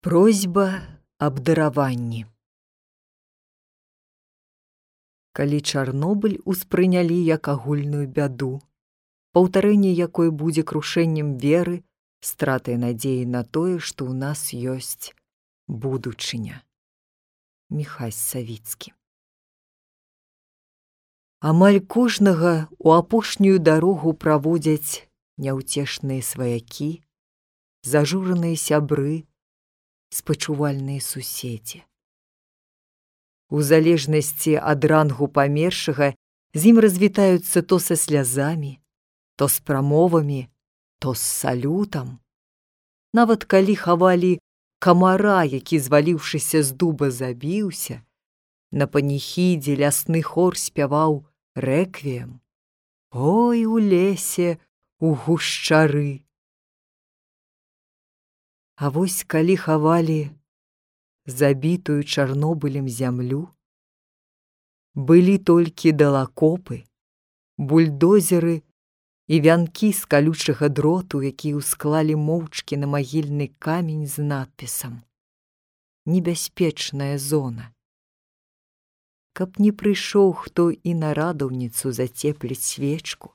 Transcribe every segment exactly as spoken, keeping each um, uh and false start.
Просьба аб дараванні. Калі Чарнобыль успрынялі як агульную бяду, паўтарэнне якой будзе крушэннем веры, стратай надзеі на тое, што ў нас ёсць будучыня. Міхась Савіцкі. Амаль кожнага у апошнюю дарогу праводзяць няўцешныя сваякі, зажураныя сябры, спачувальныя суседзі. У залежнасці ад рангу памершага з ім развітаюцца то са слязамі, то з прамовамі, то з салютам. Нават калі хавалі камара, які, зваліўшыся з дуба, забіўся, на паніхідзе лясны хор спяваў рэквіем: «Ой, у лесе, у гушчары». А вось калі хавалі забітую Чарнобылем зямлю, былі толькі далакопы, бульдозеры і вянкі з калючага дроту, якія ўсклалі моўчкі на магільны камень з надпісам «Небяспечная зона». Каб не прыйшоў хто і на радаўніцу зацепліць свечку,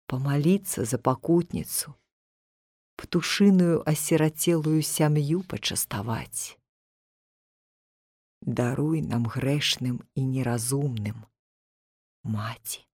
памаліцца за пакутніцу, птушыную асірацелую сям'ю пачаставаць. Даруй нам грэшным і неразумным, Маці.